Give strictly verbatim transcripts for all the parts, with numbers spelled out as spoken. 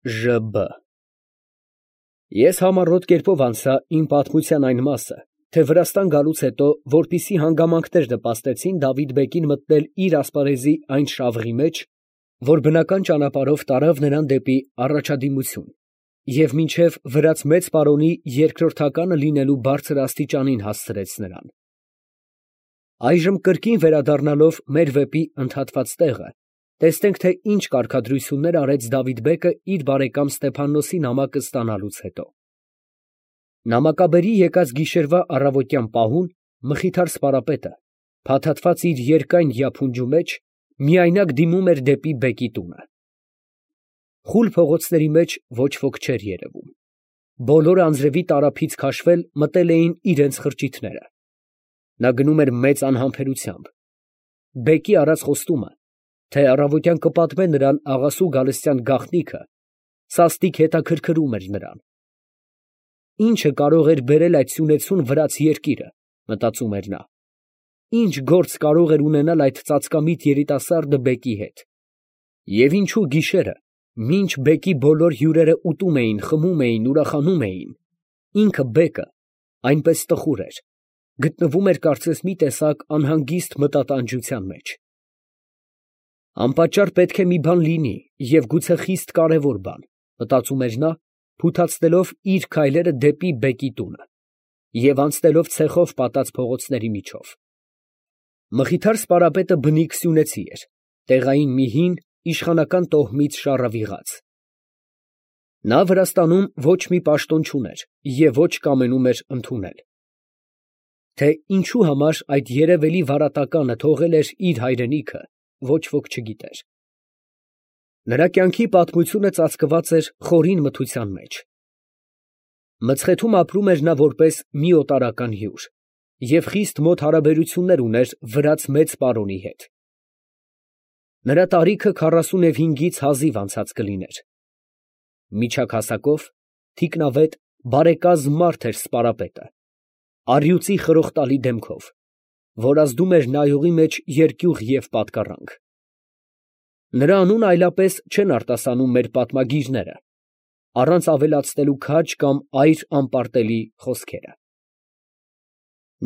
Ժ Բ Ես համառոտ կերպով անցա իմ պատմության այն մասը, թե Վրաստան գալուց հետո, որպիսի հանգամանքներ նպաստեցին Դավիթ֊բեկին մտնել իր ասպարեզի այն շավղի մեջ, որ բնական ճանապարհով տարավ նրան դեպի առաջադիմություն, և մինչև վրաց մեծ պարոնի երկրորդականը լինելու բարձր աստիճանին հասցրեց նրան։ Այժմ կրկին վերադառնալով մեր վեպի ընդհատված տեղը, տեսնենք, թե ինչ կարգադրություններ արեց Դավիթ֊բեկը իր բարեկամ Ստեփաննոսի նամակը ստանալուց հետո։ Նամակաբերի եկած գիշերվա առավոտյան պահուն Մխիթար սպարապետը, փաթաթված իր երկայն յափունջու մեջ, միայնակ դիմում էր դեպի բեկի տունը։ Խուլ փողոցների մեջ ոչ ոք չէր երևում։ Բոլորը անձրևի տարափից քաշվել մտել էին իրենց խրճիթները։ Նա գնում էր մեծ անհամբերությամբ։ Բեկի արած խոստումը, թե առավոտյան կպատմե նրան աղասու Գալստյան գաղտնիքը, սաստիկ հետաքրքրում էր նրան։ Ի՞նչը կարող էր բերել այդ սյունեցուն վրաց երկիրը, մտածում էր նա։ Ի՞նչ գործ կարող էր ունենալ այդ ծածկամիտ երիտասարդը բեկի հետ։ Եվ ինչու գիշերը, մինչ բեկի բոլոր հյուրերը ուտում էին, խմում էին, ուրախանում էին, ինքը բեկը այնպես տխուր էր, գտնվում էր կարծես մի տեսակ անհանգիստ մտատանջության մեջ։ Անպատճառ պետք է մի բան լինի և գուցե խիստ կարևոր բան, մտածում էր նա, փութացնելով իր քայլերը դեպի բեկի տունը և անցնելով ցեխով պատած փողոցների միջով։ Մխիթար սպարապետը բնիկ սյունեցի էր, տեղային մի հին, իշխանական տոհմից շառավիղած։ Նա Վրաստանում ոչ մի պաշտոն չուներ և ոչ կամենում էր ընդունել։ Թե ինչու համար այդ երևելի վարատականը թողել էր իր հայրենիքը, ոչ ոք չգիտեր։ Նրա կյանքի պատմությունը ծածկված էր խորին մթության մեջ։ Մցխեթում ապրում էր նա որպես մի օտարական հյուր և խիստ մոտ հարաբերություններ ուներ վրաց մեծ պարոնի հետ։ Նրա տարիքը քառասունևհինգից հազիվ անցած կլիներ։ Միջակ հասակով, թիկնավետ, բարեկազմ մարդ էր սպարապետը, առյուծի խրոխտալի դեմքով, որ ազդում էր նայողի մեջ երկյուղ և պատկառանք։ Նրա անունը այլապես չեն արտասանում մեր պատմագիրները, առանց ավելացնելու քաջ կամ այր անպարտելի խոսքերը։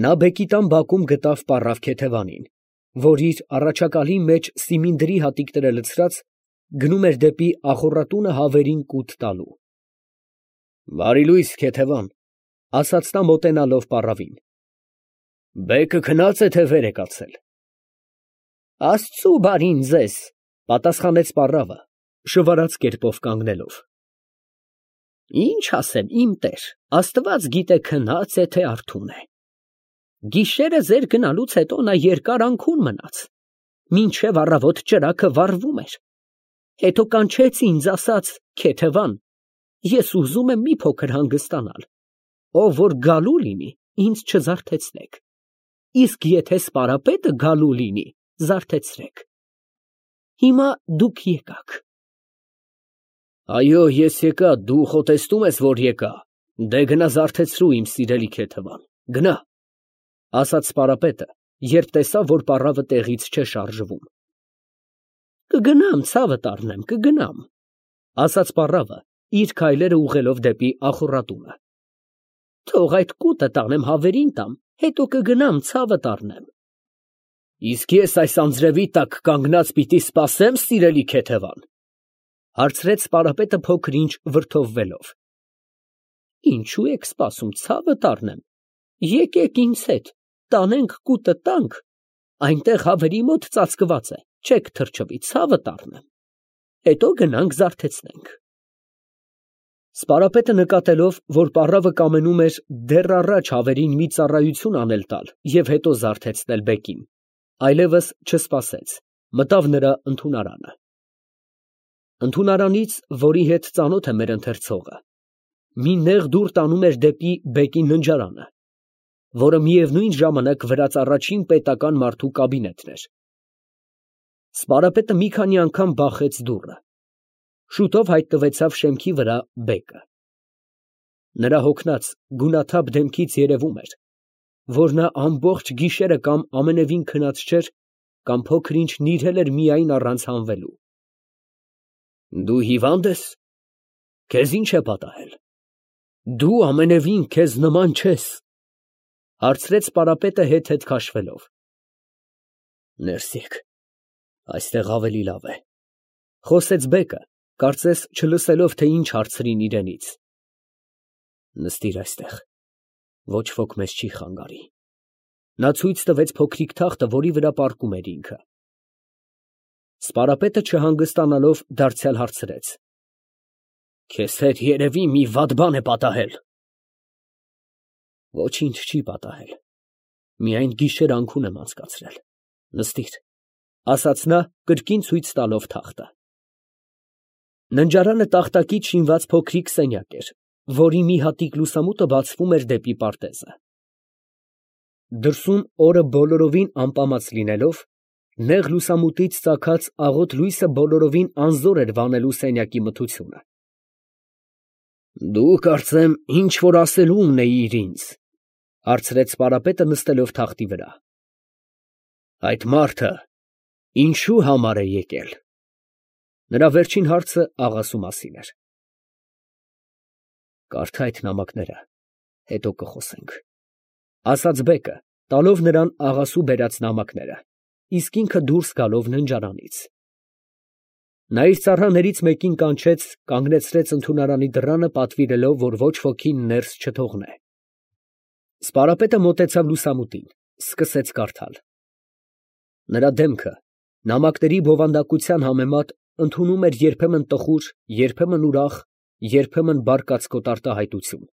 Նա բեկի տան բակում գտավ պառավ քեթևանին, որ իր առաջակալի մեջ սիմինդրի հատիկները լցրած, գնում էր դեպի ախոռատունը հավերին կուտ տալու։ ֊ Բարի լույս, քեթևան, ֊ ասաց նա մոտենալով պառավին։ ֊ Բեկը քնա՞ծ է, թե վեր է կացել։ ֊ Աստծու բարին ձեզ, ֊ պատասխանեց պառավը, շվարած կերպով կանգնելով։ ֊ Ինչ ասեմ, իմ տեր, աստված գիտե քնա՞ծ է, թե արթուն է։ Գիշերը ձեր գնալուց հետո նա երկար անքուն մնաց, մինչև առավոտ ճրագը վառվում էր, հետո կանչեց ինձ, ասաց. «Քեթևան, ես ուզում եմ մի փոքր հանգստանալ, ով որ գալու լինի, ինձ չզարթեցնեք, իսկ եթե սպարապետը գալու լինի, զարթեցրեք։ Հիմա դուք եկաք»։ Այո, ես եկա, դու խոտեստում ես, որ եկա, դե գնա զարթեցրու, իմ սիրելի քեթևան, գնա, ֊ ասաց սպարապետը, երբ տեսավ, որ պառավը տեղից չէ շարժվում։ ֊ Կգնամ, ցավդ առնեմ, կգնամ, ֊ ասաց պառավը, իր քայլերը ուղղելով դեպի ախոռատունը։ ֊ Թող այդ կուտը տանեմ հավերին տամ, հետո կգնամ, ցավդ առնեմ։ ֊ Իսկ ես այս անձրևի տակ կանգնած պիտի սպասե՞մ, սիրելի քեթևան, ֊ հարցրեց սպարապետը փոքր֊ինչ վրդովվելով։ ֊ Ինչո՞ւ եք սպասում, ցավդ առնեմ, եկեք ինձ հետ, տանենք կուտը տանք, այնտեղ հավերի մոտ ծածկված է, չեք թրջվի, ցավդ առնեմ, հետո գնանք զարթեցնենք։ Սպարապետը նկատելով, որ պառավը կամենում էր դեռ առաջ հավերին մի ծառայություն անել տալ և հետո զարթեցնել բեկին, այլևս չսպասեց, մտավ նրա ընդունարանը։ Ընդունարանից, որի հետ ծանոթ է մեր ընթերցողը, մի նեղ դուռ տանում էր դեպի բեկի ննջարանը, որը միևնույն ժամանակ վրաց առաջին պետական մարդու կաբինետն էր։ Սպարապետը մի քանի անգամ բախեց դուռը։ Շուտով հայտնվեցավ շեմքի վրա բեկը։ Նրա հոգնած, գունաթափ դեմքից երևում էր, որ նա ամբողջ գիշերը կամ ամենևին քնած չէր, կամ փոքր֊ինչ նիրհել էր միայն առանց հանվելու։ ֊ Դու հիվա՞նդ ես, Քեզ ինչ է պատահել։ Դու ամենևին քեզ նման չես, հարցրեց սպարապետը հետ-հետ քաշվելով։ Ներս եկ, այստեղ ավելի լավ է, խոսեց բեկը, կարծես չլսելով, թե ինչ հարցրին իրենից։ Նստիր այստեղ, ոչ ոք մեզ չի խանգարի։ Նա ցույց տվեց փոքրիկ թախտը, որի վրա պառկում էր ինքը։ Սպարապետը չհանգստանալով դարձյալ հարցրեց. Քեզ հետ երևի մի վատ բան է պատահել։ Ոչինչ չի պատահել, միայն գիշեր անքուն եմ անցկացրել։ Նստիր, ասաց նա, կրկին ցույց տալով թախտը։ Ննջարանը տախտակից շինված փոքրիկ սենյակ էր, որի մի հատիկ լուսամուտը բացվում էր դեպի պարտեզը։ Դրսում օրը բոլորովին անպամած լինելով, նեղ լուսամուտից ծագած աղոտ լույսը բոլորովին անզոր էր վանելու սենյակի մթությունը։ Դու կարծեմ ինչ որ ասելու ունեիր ինձ, հարցրեց սպարապետը նստելով թախտի վրա։ Այդ մարդը ինչու համար է եկել։ Նրա վերջին հարցը աղասու մասին էր։ Կարդա այդ նամակները, հետո կխոսենք, ասաց բեկը, տալով նրան աղասու բերած նամակները, իսկ ինքը դուրս գալով ննջարանից։ Նա իր ծառաներից մեկին կանչեց, կանգնեցրեց ընդունարանի դռանը, պատվիրելով, որ ոչ ոքին ներս չթողնե։ Սպարապետը մոտեցավ լուսամուտին, սկսեց կարդալ։ Նրա դեմքը նամակների բովանդակության համեմատ ընդունում էր երբեմն տխուր, երբեմն ուրախ, երբեմն բարկած կոտարտահայտություն։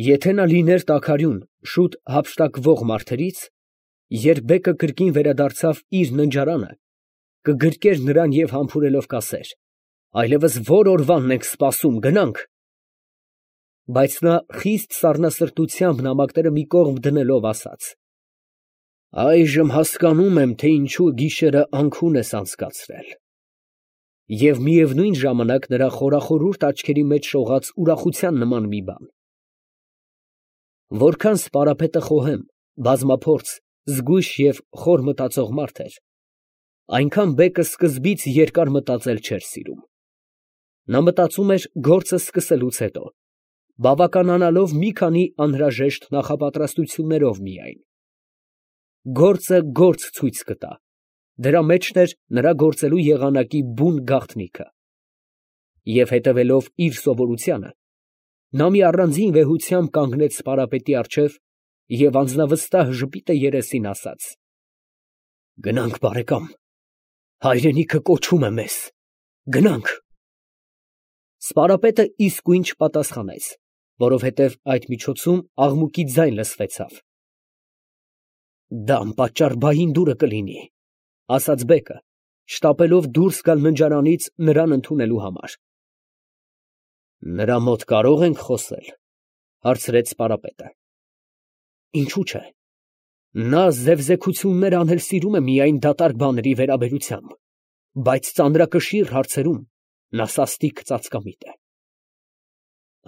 Եթե նա լիներ տաքարյուն, շուտ հափշտակվող մարդերից, երբ բեկը կրկին վերադարձավ իր ննջարանը, կգրկեր նրան և համբուրելով կասեր. այլևս որ օրվանն ենք սպասում, գնանք։ Բայց նա խիստ սառնասրտությամբ նամակները մի կողմ դնելով ասաց. Այժմ հասկանում եմ, թե ինչու գիշերը անքուն ես անցկացրել։ Եվ միևնույն ժամանակ նրա խորախորուրդ աչքերի մեջ շողաց ուրախության նման մի բան։ Որքան սպարապետը խոհեմ, բազմափորձ, զգույշ և խոր մտածող մարդ էր, այնքան բեկը սկզբից երկար մտածել չէր սիրում։ Նա մտածում էր գործը սկսելուց հետո, բավականանալով մի քանի անհրաժեշտ նախապատրաստություններով միայն։ Գործը գործ ցույց կտա, դրա մեջն էր նրա գործելու եղանակի բուն գաղտնիքը։ Եվ հետևելով իր սովորությանը, նա մի առանձին վեհությամբ կանգնեց սպարապետի առջև և անձնավստահ ժպիտը երեսին ասաց. Գնանք, բարեկամ, հայրենիքը կոչում է մեզ, գնանք։ Սպարապետը իսկույն չպատասխանեց, որովհետև այդ միջոցում աղմուկի ձայն լսվեցավ։ Դա անպատճառ բային դուրը կլինի, ասաց բեկը, շտապելով դուրս գալ ննջարանից նրան ընդունելու համար։ Նրա մոտ կարո՞ղ ենք խոսել, հարցրեց սպարապետը։ Ինչու՞ չէ։ Նա զևզեքություններ անել սիրում է միայն դատարկ բաների վերաբերությամբ, բայց ծանրակշիռ հարցերում նա սաստիկ ծածկամիտ է։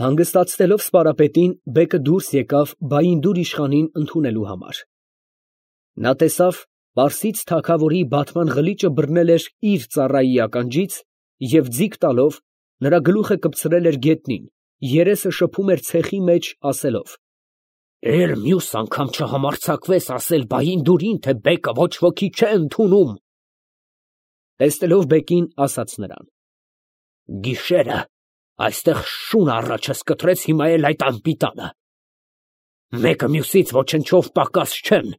Հանգստացնելով սպարապետին, բեկը դուրս եկավ բայինդուր իշխանին ընդունելու համար։ Նա տեսավ, պարսից թագավորի բատման ղլիճը բռնել էր իր ծառայի ականջից և ձիգ տալով նրա գլուխը կպցրել էր գետնին, երեսը շփում էր ցեխի մեջ, ասելով. Էլ մյուս անգամ չհամարձակվես ասել բայինդուրին, թե բեկը ոչ ոքի չէ ընդունում։ Տեսնելով բեկին, ասաց նրան. Գիշերը այստեղ շուն առաջս կտրեց, հիմա էլ այդ անպիտանը։ Մեկը մյուսից ոչնչով պակաս չեն,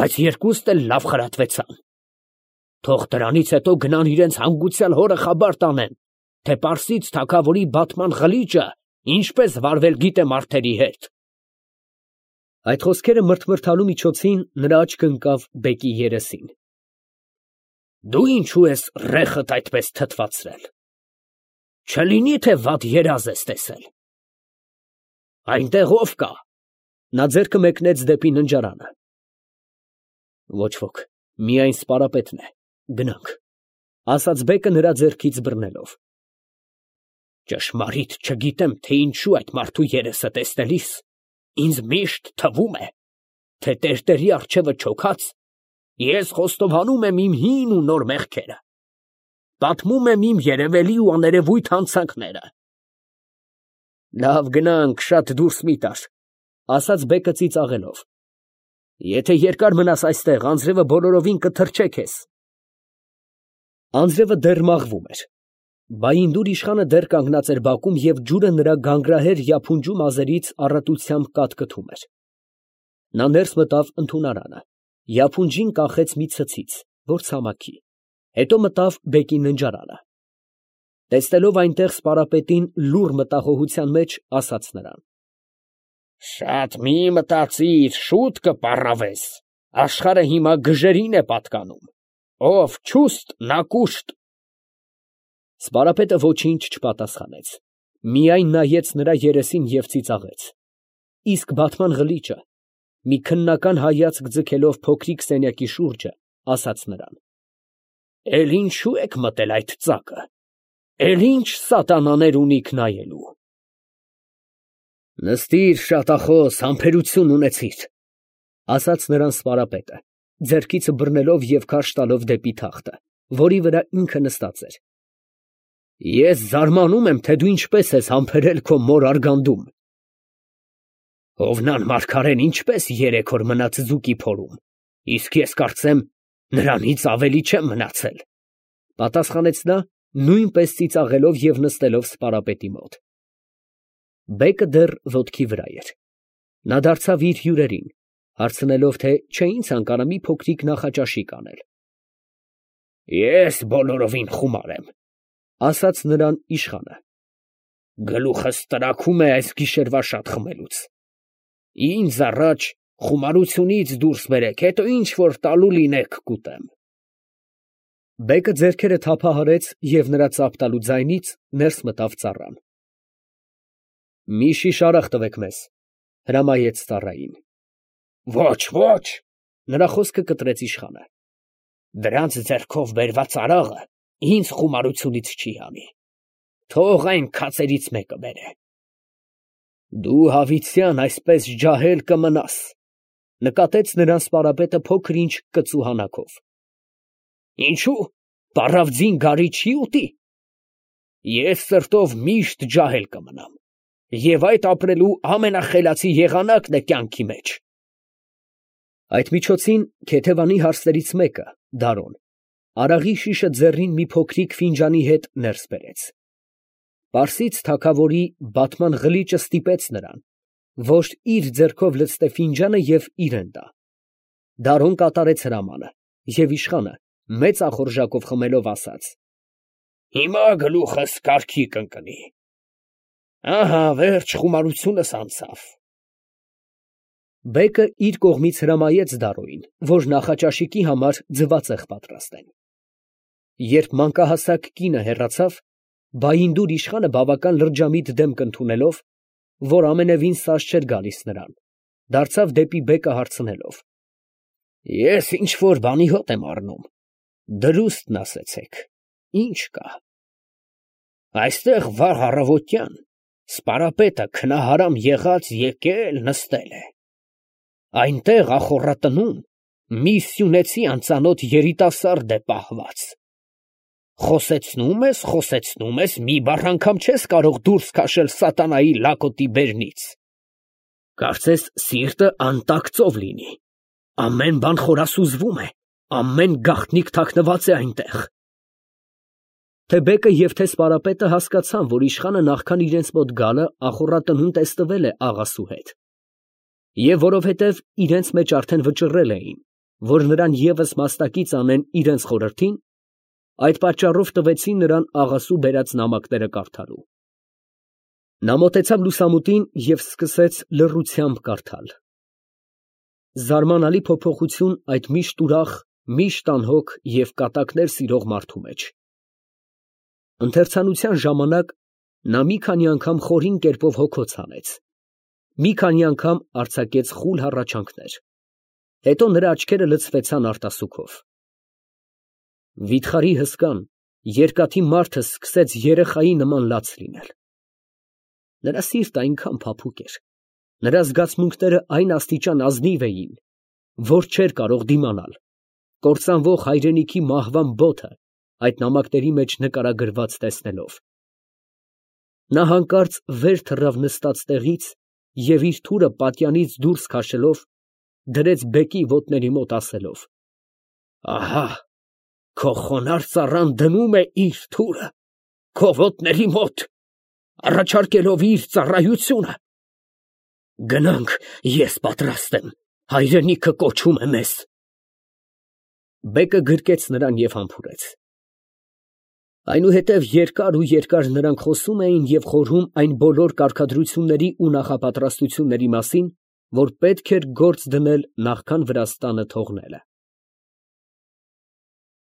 բայց երկուստ էլ լավ խրատվեցան։ Թող դրանից հետո գնան իրենց հանգուցյալ հորը խաբար տանեն, թե պարսից թագավորի բատման ղլիճը ինչպես վարվել գիտե մարդերի հետ։ Այդ խոսքերը մրթմրթալու միջոցին նրա աչքը ընկավ բեկի երեսին։ Դու ինչու ես ռեխդ այդպես թթվածրել։ Չլինի, թե վատ երազ ես տեսել։ Այնտեղ ով կա։ Նա ձեռքը մեկնեց դեպի ննջարանը։ Ոչ ոք, միայն սպարապետն է, գնանք, ասաց բեկը նրա ձեռքից բռնելով։ Ճշմարիտ չգիտեմ, թե ինչու այդ մարդու երեսը տեսնելիս ինձ միշտ թվում է, թե տերտերի առջևը չոքած ես խոստովանում եմ իմ հին ու նոր մեղքերը։ պատմում եմ իմ երևելի ու աներևույթ հանցանքները։ Լավ, գնանք, շատ դուրս մի տար, ասաց բեկը ծիծաղելով։ Եթե երկար մնաս այստեղ, անձրևը բոլորովին կթրջե քեզ։ Անձրևը դեռ մաղվում էր։ Բայինդուր իշխանը դեռ կանգնած էր բակում և ջուրը նրա գանգրահեր յափունջու մազերից առատությամբ կատկթում էր։ Նա ներս մտավ ընդունարանը, յափունջին կախեց մի ցցից, որ ցամաքի, հետո մտավ բեկի ննջարանը։ Տեսնելով այնտեղ սպարապետին լուռ մտահոգության մեջ, ասաց նրան. Շատ մի մտածիր, շուտ կպառավես, աշխարհը հիմա գժերին է պատկանում, ով չուստ, նա կուշտ։ Սպարապետը ոչինչ չպատասխանեց, միայն նայեց նրա երեսին և ծիծաղեց, իսկ բատման ղլիճը, մի քննական հայացք ձգելով փոքրիկ սենյակի շուրջը, ասաց նրան. Էլ ինչու եք մտել այդ ծակը, էլ ինչ սատանաներ ունիք նայելու։ Նստիր, շատախոս, համբերություն ունեցիր, ասաց նրան սպարապետը, ձեռքիցը բռնելով և քարշ տալով դեպի թախտը, որի վրա ինքը նստած էր։ Ես զարմանում եմ, թե դու ինչպես ես համբերել քո մոր արգանդում։ Հովնան մարգարեն ինչպես երեք օր մնաց ձուկի փորում, իսկ ես կարծեմ, նրանից ավելի չեմ մնացել, պատասխանեց նա, նույնպես ծիծաղելով և նստելով սպարապետի մոտ։ Բեկը դեռ ոտքի վրա էր։ Նա դարձավ իր հյուրերին, հարցնելով, թե չէին ցանկանա մի փոքրիկ նախաճաշիկ անել։ Ես բոլորովին խումար եմ, ասաց նրան իշխանը։ Գլուխս տրաքում է այս գիշերվա շատ խմելուց։ Ինձ առաջ խումարությունից դուրս բերեք, հետո ինչ որ տալու լինեք կուտեմ։ Բեկը ձեռքերը թափահարեց և նրա ծափ տալու ձայնից ներս մտավ ծառան։ Մի շիշ արաղ տվեք մեզ, հրամայեց ծառային։ Ոչ, ոչ, նրա խոսքը կտրեց իշխանը։ Դրանց ձեռքով բերված արաղը ինձ խումարությունից չի հանի։ Թող այն քացերից մեկը բերե։ Դու հավիտյան այսպես ջահել կմնաս, նկատեց նրան սպարապետը փոքր ինչ կծու հանակով։ Ինչու, պառավ ձին գարի չի ուտի։ Ես սրտով միշտ ջահել կմնամ, և այդ ապրելու ամենախելացի եղանակն է կյանքի մեջ։ Այդ միջոցին Քեթևանի հարսներից մեկը, Դարոն, արաղի շիշը ձեռին մի փոքրիկ ֆինջանի հետ ներս բերեց։ Պարսից թագավորի բատման ղլիճը ստիպեց նրան, որ իր ձեռքով լցնե ֆինջանը և իրան տա։ Դարոն կատարեց հրամանը, և իշխանը, մեծ ախորժակով խմելով, ասաց. Հիմա գլուխս կարգի կընկնի։ Ահա վերջ խումարությունս անցավ։ Բեկը իր կողմից հրամայեց Դարոյին, որ նախաճաշիկի համար ձվածեղ պատրաստեն։ Երբ մանկահասակ կինը հեռացավ, Բայինդուր իշխանը բավական լրջամիտ դեմք ընդունելով, որ ամենևին սազ չէր գալիս նրան, դարձավ դեպի բեկը հարցնելով. Ես ինչ որ բանի հոտ եմ առնում, դրուստն ասեցեք, ինչ կա։ Այստեղ վաղ առավոտյան սպարապետը քնահարամ եղած եկել նստել է։ Այնտեղ ախոռատնում մի սյունեցի անծանոթ երիտասարդ է պահված։ Խոսեցնում ես, խոսեցնում ես, մի բառ անգամ չես կարող դուրս քաշել սատանայի լակոտի բերնից։ Կարծես սիրտը անտակ ծով լինի, ամեն բան խորասուզվում է, ամեն գաղտնիք թաքնված է այնտեղ։ Թե բեկը և թե սպարապետը հասկացան, որ իշխանը նախքան իրենց մոտ գալը ախոռատնում տեստվել է աղասու հետ, և որովհետև իրենց մեջ արդեն վճռել էին, որ նրան ևս մաստակից անեն իրենց խորհրդին, այդ պատճառով տվեցին նրան աղասու բերած նամակները կարդալու։ Նա մոտեցավ լուսամուտին և սկսեց լռությամբ կարդալ։ Զարմանալի փոփոխություն այդ միշտ ուրախ, միշտ անհոգ և կատակներ սիրող մարդու մեջ։ Ընթերցանության ժամանակ նա մի քանի անգամ խորին կերպով հոգոց հանեց, մի քանի անգամ արձակեց խուլ հառաչանքներ, հետո նրա աչքերը լցվեցան արտասուքով։ Վիթխարի հսկան, երկաթի մարդը սկսեց երեխայի նման լաց լինել։ Նրա սիրտը այնքան փափուկ էր, նրա զգացմունքները այն աստիճան ազնիվ էին, որ չէր կարող դիմանալ կործանվող հայրենիքի մահվան բոթը այդ նամակների մեջ նկարագրված տեսնելով։ Նա հանկարծ վեր թռավ նստած տեղից և իր թուրը պատյանից դուրս քաշելով, դրեց բեկի ոտների մոտ, ասելով. «Ահա! Քո խոնարհ ծառան դնում է իր թուրը քո ոտների մոտ, առաջարկելով իր ծառայությունը։ Գնանք, ես պատրաստ եմ, հայրենիքը կոչում է մեզ»։ Բեկը գրկեց նրան և համբուրեց։ Այնուհետև երկար ու երկար նրանք խոսում էին և խորհում այն բոլոր կարգադրությունների ու նախապատրաստությունների մասին, որ պետք էր գործ դնել նախքան Վրաստանը թողնելը։